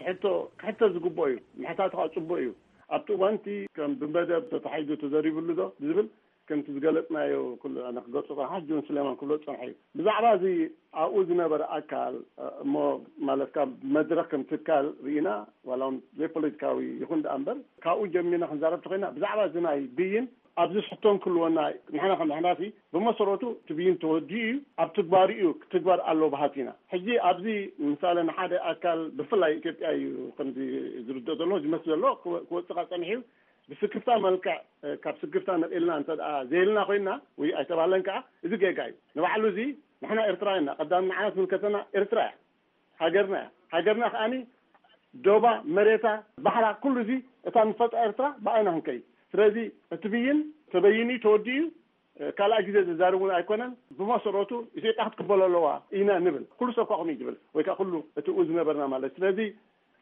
ሕቶ ክሕተት ዝግብኦ እዩ። ምሕታቱ ከዓ ፅቡቅ እዩ። ኣብቲ እዋንቲ ከም ብመደብ ተታሒዙ ተዘሪብሉ ዶ ዝብል ከምቲ ዝገለፅናዮ ኩሉ ኣነ ክገልፆ ከ ሓጂ ውን ስሌማን ክብሎ ዝፀንሐ እዩ። ብዛዕባ እዚ ኣብኡ ዝነበረ ኣካል እሞ ማለት ካብ መድረክ ከም ትካል ርኢና ዋላ እውን ዘይፖለቲካዊ ይኹን ደኣ እምበር ካብኡ ጀሚርና ክንዛረብ ተኮይና ብዛዕባ እዚ ናይ ብይን ኣብዚ ሕቶ እንክልወና ንሕና ከም ሕናፊ ብመሰረቱ እቲ ብይን ተወዲኡ እዩ ኣብ ትግባር እዩ ክትግበር ኣሎ በሃልቲ ኢና። ሕጂ ኣብዚ ምሳሌ ንሓደ ኣካል ብፍላይ ኢትዮጵያ እዩ ከምዚ ዝርድኦ ዘሎ ዝመስል ዘሎ ክወፅእ ጸኒሑ እዩ። ብስክፍታ መልክዕ ካብ ስክፍታ ነቒልና እንተ ደኣ ዘየልና ኮይንና ወይ ኣይተባህለን ከዓ እዚ ጌጋ እዩ። ንባዕሉ እዚ ንሕና ኤርትራውያን ኢና። ቀዳም ንዓና ትምልከተና ኤርትራ እያ። ሃገርና እያ። ሃገርና ከዓኒ ዶባ መሬታ ባሕራ ኩሉ እዚ እታ ንፈልጣ ኤርትራ ብኣይና ክንከይድ። ስለዚ እቲ ብይን ተበይኑ ተወዲኡ እዩ። ካልኣ ግዜ ዝዛረብ እውን ኣይኮነን። ብመሰረቱ ኢትዮጵያ ክትቅበሎ ኣለዋ ኢና ንብል። ኩሉ ሰብ ከዓ ከምኡ እዩ ዝብል ወይ ከዓ ኩሉ እቲ ዝነበርና ማለት ስለዚ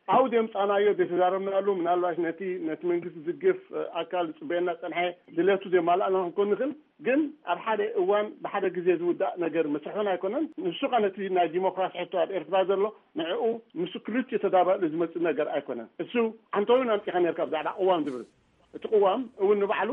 ኣብኡ ዘምፃናዮ ዘይተዛረብናሉ ምናልባሽ ነቲ ነቲ መንግስቲ ዝግፍ ኣካል ዝፅበየና ፀንሐ ድሌቱ ዘማላእና ክንኮን ንኽእል። ግን ኣብ ሓደ እዋን ብሓደ ግዜ ዝውዳእ ነገር መስርሕን ኣይኮነን። ንሱ ከዓ ነቲ ናይ ዲሞክራሲ ሕቶ ኣብ ኤርትራ ዘሎ ንዕኡ ምስ ክልቲኡ ተዳባእሉ ዝመፅእ ነገር ኣይኮነን። እሱ ዓንተውን ኣምፂኻ ነርካ ብዛዕባ ቅዋም ዝብል እቲ ቅዋም እውን ንባዕሉ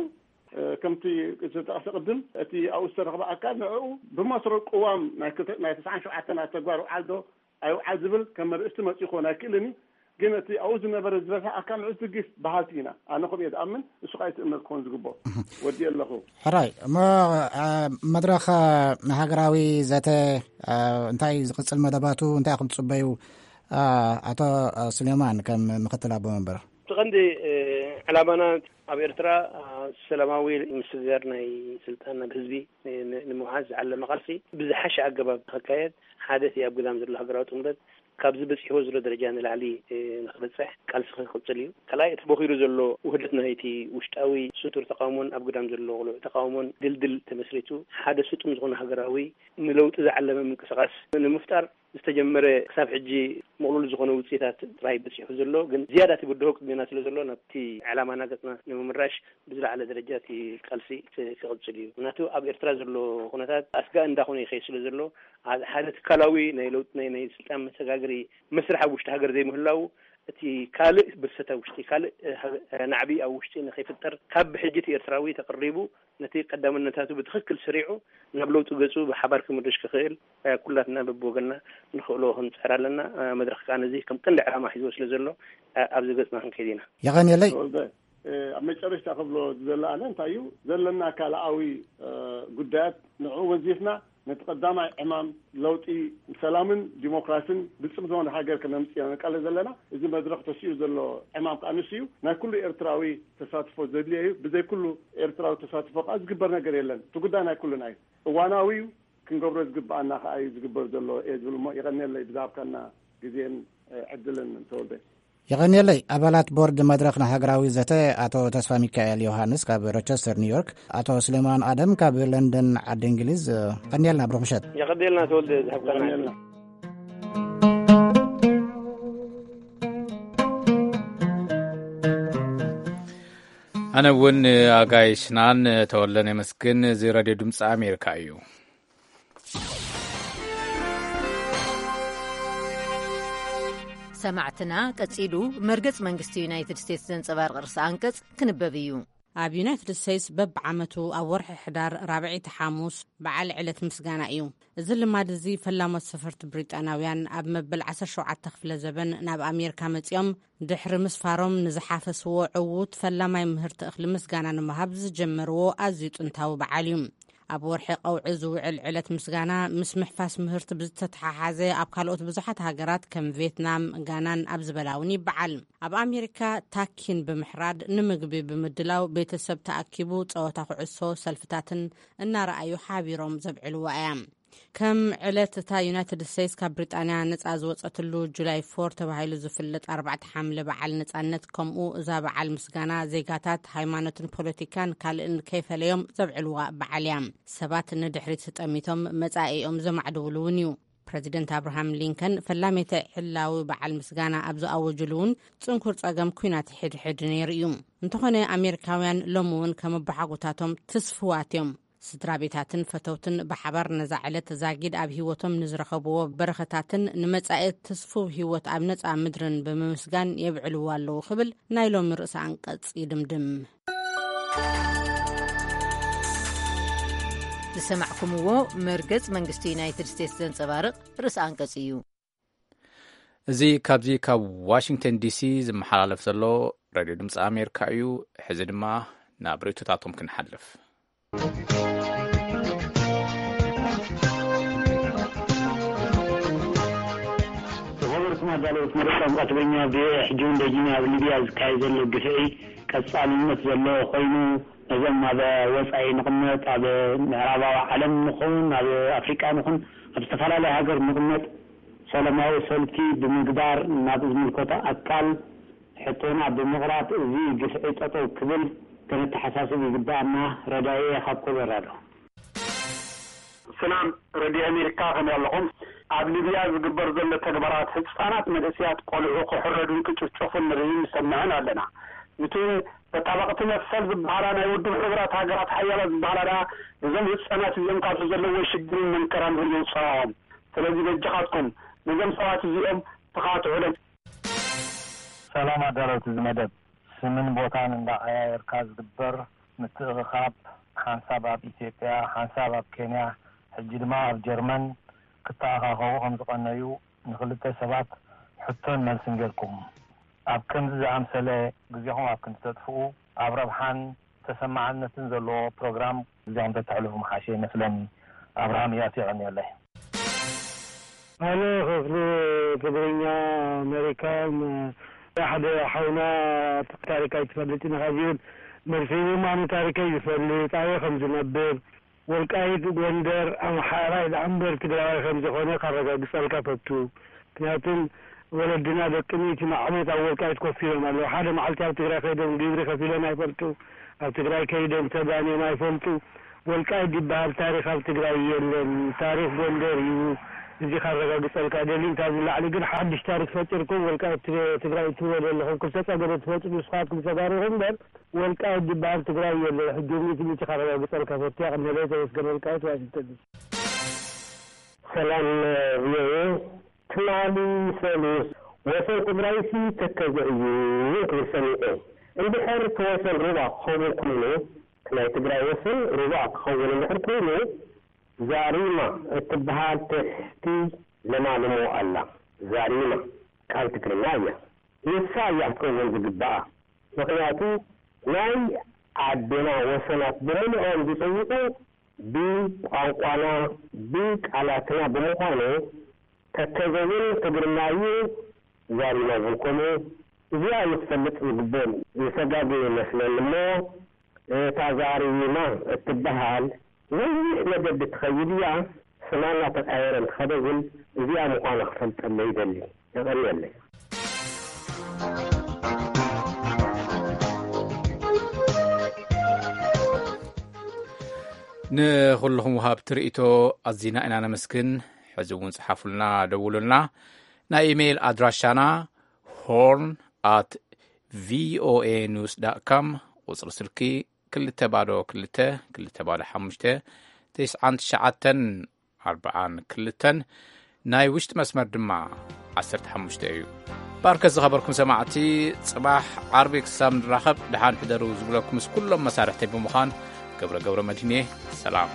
ከምቲ ዝተጠቐሰ ቅድም እቲ ኣብኡ ዝተረኽበ ኣካል ንዕኡ ብመስረቱ ቅዋም ናይ ክልተ ናይ ተስዓን ሸውዓተን ኣብ ተግባር ውዓል ዶ ኣይውዓል ዝብል ከም መርእስቲ መፂኡ ክኾን ኣይክእልን እዩ። ግን እቲ ኣብኡ ዝነበረ ዝበዝሐ ኣካል ንዑ ዝድግፍ በሃልቲ ኢና። ኣነ ከምኡ እየ ዝኣምን። እሱ ከዓ እቲ እምነት ክኾን ዝግብኦ ወዲ ኣለኹ። ሕራይ እሞ መድረኽ ሃገራዊ ዘተ እንታይ ዝቕፅል መደባቱ እንታይ ክም ትፅበዩ? ኣቶ ስሌማን ከም ምክትል ኣቦ መንበር እቲ ቀንዲ ዕላማና ኣብ ኤርትራ ሰላማዊ ምስግጋር ናይ ስልጣን ናብ ህዝቢ ንምውሓዝ ዝዓለመ ቃልሲ ብዝሓሸ ኣገባብ ንክካየድ ሓደ እቲ ኣብ ግዳም ዘሎ ሃገራዊ ጥምረት ካብዚ በፂሕዎ ዘሎ ደረጃ ንላዕሊ ንክበፅሕ ቃልሲ ክቅፅል እዩ። ካልኣይ እቲ ቦኺሩ ዘሎ ውህደት ናይቲ ውሽጣዊ ስቱር ተቃውሞን ኣብ ግዳም ዘሎ ቅሉዕ ተቃውሞን ድልድል ተመስሪቱ ሓደ ስጡም ዝኾነ ሃገራዊ ንለውጢ ዝዓለመ ምንቅስቃስ ንምፍጣር ዝተጀመረ ክሳብ ሕጂ ምቕሉል ዝኾነ ውፅኢታት ጥራይ በፂሑ ዘሎ ግን ዝያዳ እቲ ብድሆ ቅድሜና ስለ ዘሎ ናብቲ ዕላማና ገፅና ንምምራሽ ብዝለዓለ ደረጃ እቲ ቃልሲ ክቕፅል እዩ። ምክንያቱ ኣብ ኤርትራ ዘሎ ኩነታት ኣስጋኢ እንዳኾነ ይኸይድ ስለ ዘሎ ሓደ ትካላዊ ናይ ለውጢ ናይ ናይ ስልጣን መሰጋገሪ መስርሕ ኣብ ውሽጢ ሃገር ዘይምህላው እቲ ካልእ ብርሰት ኣብ ውሽጢ ካልእ ናዕቢ ኣብ ውሽጢ ንኸይፍጠር ካብ ብሕጂ እቲ ኤርትራዊ ተቕሪቡ ነቲ ቀዳምነታቱ ብትኽክል ስሪዑ ናብ ለውጢ ገጹ ብሓባር ክምርሽ ክኽእል ኩላትና በብወገንና ንኽእሎ ክንጽዕር ኣለና። መድረኽ ከኣ ነዚ ከም ቀንዲ ዕላማ ሒዝዎ ስለ ዘሎ ኣብዚ ገጽና ክንከይድ ኢና። የቐንየለይ። ተወልደ፣ ኣብ መጨረሽታ ክብሎ ዝደሊ ኣነ እንታይ እዩ ዘለና ካልኣዊ ጉዳያት ንዕኡ ወዚፍና ነቲ ቀዳማይ ዕማም ለውጢ ሰላምን ዲሞክራሲን ብልጽም ዝኾነ ሃገር ከነምጽእ ኢና ንቃለስ ዘለና። እዚ መድረኽ ተሲኡ ዘሎ ዕማም ከኣ ንሱ እዩ። ናይ ኩሉ ኤርትራዊ ተሳትፎ ዘድልዮ እዩ። ብዘይ ኩሉ ኤርትራዊ ተሳትፎ ከኣ ዝግበር ነገር የለን። እቲ ጉዳይ ናይ ኩልና እዩ። እዋናዊ እዩ። ክንገብሮ ዝግብኣና ከኣ እዩ ዝግበር ዘሎ እየ ዝብል እሞ የቐንየለይ ብዝሃብካና ግዜን ዕድልን ተወልደ። የቐንየለይ ኣባላት ቦርድ መድረኽ ንሃገራዊ ዘተ ኣቶ ተስፋ ሚካኤል ዮሃንስ ካብ ሮቸስተር ኒውዮርክ፣ ኣቶ ስሌማን ኣደም ካብ ለንደን ዓዲ እንግሊዝ። ቀንየልና ብሩኽ ምሸት። የቐንየልና ተወልደ ዝሃብካና ዕድል። ኣነ እውን ኣጋይሽናን ተወልደን የመስግን። እዚ ሬድዮ ድምፂ ኣሜሪካ እዩ። ሰማዕትና፣ ቀጺሉ መርገጽ መንግስቲ ዩናይትድ ስቴትስ ዘንጸባርቕ ርእሰ ኣንቀጽ ክንበብ እዩ። ኣብ ዩናይትድ ስቴትስ በብዓመቱ ኣብ ወርሒ ሕዳር ራብዐይቲ ሓሙስ በዓል ዕለት ምስጋና እዩ። እዚ ልማድ እዚ ፈላሞት ሰፈርቲ ብሪጣናውያን ኣብ መበል ዓሰርተ ሸውዓተ ክፍለ ዘበን ናብ ኣሜሪካ መጺኦም ድሕሪ ምስፋሮም ንዝሓፈስዎ ዕዉት ፈላማይ ምህርቲ እኽሊ ምስጋና ንምሃብ ዝጀመርዎ ኣዝዩ ጥንታዊ በዓል እዩ። ኣብ ወርሒ ቀውዒ ዝውዕል ዕለት ምስጋና ምስ ምሕፋስ ምህርቲ ብዝተተሓሓዘ ኣብ ካልኦት ብዙሓት ሃገራት ከም ቪየትናም፣ ጋናን ኣብ ዝበላ እውን ይበዓል። ኣብ ኣሜሪካ ታኪን ብምሕራድ ንምግቢ ብምድላው ቤተሰብ ተኣኪቡ ጸወታ ኩዕሶ ሰልፍታትን እናረኣዩ ሓቢሮም ዘብዕልዋ እያ። ከም ዕለት እታ ዩናይትድ ስቴትስ ካብ ብሪጣንያ ነጻ ዝወጸትሉ ጁላይ ፎር ተባሂሉ ዝፍለጥ ኣርባዕተ ሓምለ በዓል ነጻነት፣ ከምኡ እዛ በዓል ምስጋና ዜጋታት ሃይማኖትን ፖለቲካን ካልእን ከይፈለዮም ዘብዕልዋ በዓል እያ። ሰባት ንድሕሪት ጠሚቶም መጻኢኦም ዘማዕድውሉ እውን እዩ። ፕረዚደንት ኣብርሃም ሊንከን ፈላሜተ ዕላዊ በዓል ምስጋና ኣብ ዝኣወጅሉ እውን ጽንኩር ጸገም ኲናት ሕድሕድ ነይሩ እዩ። እንተኾነ ኣሜሪካውያን ሎም እውን ከም ኣቦሓጎታቶም ትስፍዋት እዮም። ስድራ ቤታትን ፈተውትን ብሓባር ነዛ ዕለት ዛጊድ ኣብ ህይወቶም ንዝረኸብዎ በረኸታትን ንመጻኢ ትስፉው ህይወት ኣብ ነጻ ምድርን ብምምስጋን የብዕልዎ ኣለዉ ክብል ናይ ሎሚ ርእሰ ኣንቀጽ ይድምድም። ዝሰማዕኩምዎ መርገጽ መንግስቲ ዩናይትድ ስቴትስ ዘንጸባርቕ ርእሰ ኣንቀጽ እዩ። እዚ ካብዚ ካብ ዋሽንግተን ዲሲ ዝመሓላለፍ ዘሎ ሬድዮ ድምፂ ኣሜሪካ እዩ። ሕዚ ድማ ናብ ርእይቶታቶም ክንሓልፍ። ዝኸበርኩም ኣዳለውቲ መደብ ቋንቋ ትግርኛ፣ ቪኦኤ፣ ሕጂ እውን ደጊና ኣብ ሊብያ ዝካየድ ዘሎ ግፍዒ ቀጻልነት ዘለዎ ኮይኑ፣ ነዞም ኣብ ወጻኢ ንቕመጥ፣ ኣብ ምዕራባዊ ዓለም ንኹን ኣብ ኣፍሪቃ ንኹን ኣብ ዝተፈላለየ ሃገር ንቕመጥ ሰላማዊ ሰልፊ ብምግባር ናብ ዝምልከቶ ኣካል ሕቶና ብምቕራብ እዚ ግፍዒ ጠጠው ክብል ከነተሓሳስብ ይግባኣና። ረዳየ ካብ ኮሎራዶ። ሰላም ረድዮ ኣሜሪካ፣ ከመይ ኣለኹም? ኣብ ሊብያ ዝግበር ዘሎ ተግባራት ህፃናት፣ መንእሰያት፣ ቆልዑ ክሕረዱን ክጭፍጨፉን ንርእይን ንሰምዕን ኣለና። ንትን ተጣባቕቲ መሰል ዝበሃላ ናይ ውድብ ሕቡራት ሃገራት ሓያላት ዝበሃላ ደኣ ነዞም ህፃናት እዚኦም ካብቲ ዘለዎ ሽግርን መንከራን የውፅኦም። ስለዚ በጃኻትኩም ነዞም ሰባት እዚኦም ተኻትዑሎም። ሰላም ኣዳለውቲ እዚ መደብ፣ ስምን ቦታን እንዳቀያየርካ ዝግበር ምትእኽኻብ፣ ሓንሳብ ኣብ ኢትዮጵያ፣ ሓንሳብ ኣብ ኬንያ፣ ሕጂ ድማ ኣብ ጀርመን ክተኣኻኸቡ ከም ዝቐነዩ ንክልተ ሰባት ሕቶን መልስን ጌርኩም፣ ኣብ ከምዚ ዝኣምሰለ ግዜኹም ኣብ ክንዲ ተጥፍኡ፣ ኣብ ረብሓን ተሰማዕነትን ዘለዎ ፕሮግራም ግዜኹም ተተሕልፉ ምሓሸ ይመስለኒ። ኣብርሃም እያሱ የቐንየለይ። ኣነ ክፍሊ ትግርኛ ኣሜሪካ፣ ም-፣ ሓደ ሓውና፣ "ታሪክ ኣይትፈልጥ ኢኻ" ዝብል መልሲ ሂቡ። ኣነ ታሪከይ ዝፈልጥ፣ ኣበይ ከም ዝነብር፣ ወልቃይት፣ ጎንደር፣ ኣምሓራይ ደኣ እምበር ትግራዋይ ከም ዝኾነ ካረጋግጸልካ ፈቱ። ምክንያቱም ወለድና ደቂ ሚእቲ ዓመት ኣብ ወልቃይት ኮፍ ኢሎም ኣለዉ። ሓደ መዓልቲ ኣብ ትግራይ ከይዶም ግብሪ ከፊሎም ኣይፈልጡ። ኣብ ትግራይ ከይዶም ተጋንዮም ኣይፈልጡ። ወልቃይት ዝበሃል ታሪኽ ኣብ ትግራይ የለን። ታሪኽ ጎንደር እዩ። እዚ ካረጋግጸልካ ደሊ። ካብዚ ላዕሊ ግን ሓድሽ ታሪኽ ፈጢርኩም ወልቃይት ትግ-፣ ትግራይ ትብሎ ዘለኹም፣ ክልተ ጸገደ ትፈጥሩ ንስኻትኩም ተጋሩ ኢኹም እምበር፣ ወልቃይት ዝበሃል ትግራይ የለን። ሕጂ ሚእቲ ሚእቲ ካረጋግጸልካ ፈትያ። ቀንደለይ ተመስገን፣ ወልቃይት ዋሽንግተን ዲሲ። ሰላም ቪኦኤ። ትማሊ ሰሉስ ወሰን ትግራይሲ ተከዘ እዩ ክብል ሰሚዐ። እንድሕር እቲ ወሰን ሩባ ክኸውን ኮይኑ፣ ናይ ትግራይ ወሰን ሩባ ክኸውን እንድሕር ኮይኑ፣ ዛሪማ እትበሃል ትሕቲ ለማልሞ ኣላ። ዛሪማ ቃል ትግርኛ እያ። ንሳ እያ ክትከውን ዝግባኣ። ምኽንያቱ ናይ ዓድና ወሰናት ብምልኦም ዝጽውዑ ብቋንቋና፣ ብቃላትና ብምዃኑ፣ ተከዘ እውን ትግርኛ እዩ፣ ዛሪማ እውን ከምኡ። እዚኣ እዩ ክፈልጥ ዝግበኦም። ዝተጋገየ ይመስለኒ እሞ፣ እታ ዛሪማ እትበሃል ነዊሕ መገዲ ትኸይድ እያ። ስማ እናተቐያየረ እንተኸደ እውን እዚኣ ምዃና ክፈልጠለይ ይደሊ። የቐንየለይ። ንኹልኹም ወሃብቲ ርእይቶ ኣዚና ኢና ነመስግን። ሕዚ እውን ጽሓፉልና፣ ደውሉልና። ናይ ኢሜይል ኣድራሻና ሆርን ኣት ቪኦኤ ኒውስ ዳት ካም፣ ቁጽሪ ስልኪ ክልተ ባዶ ክልተ፣ ክልተ ባዶ ሓሙሽተ፣ ተስዓን ትሽዓተን ኣርባዓን ክልተን፣ ናይ ውሽጢ መስመር ድማ ዓሰርተ ሓሙሽተ እዩ። ባርከት ዝኸበርኩም ሰማዕቲ፣ ጽባሕ ዓርቢ ክሳብ ንራኸብ ደሓን ሕደሩ ዝብለኩም ምስ ኩሎም መሳርሕተይ ብምዃን ገብረ ገብረ መድህን እየ። ሰላም።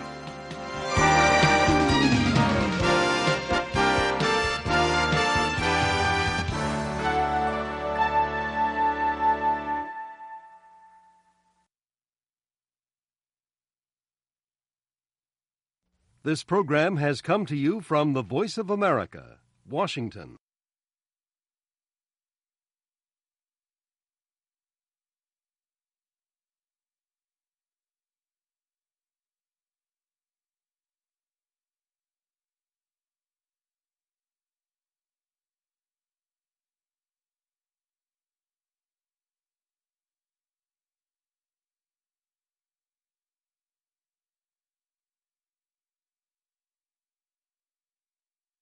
This program has come to you from the Voice of America, Washington.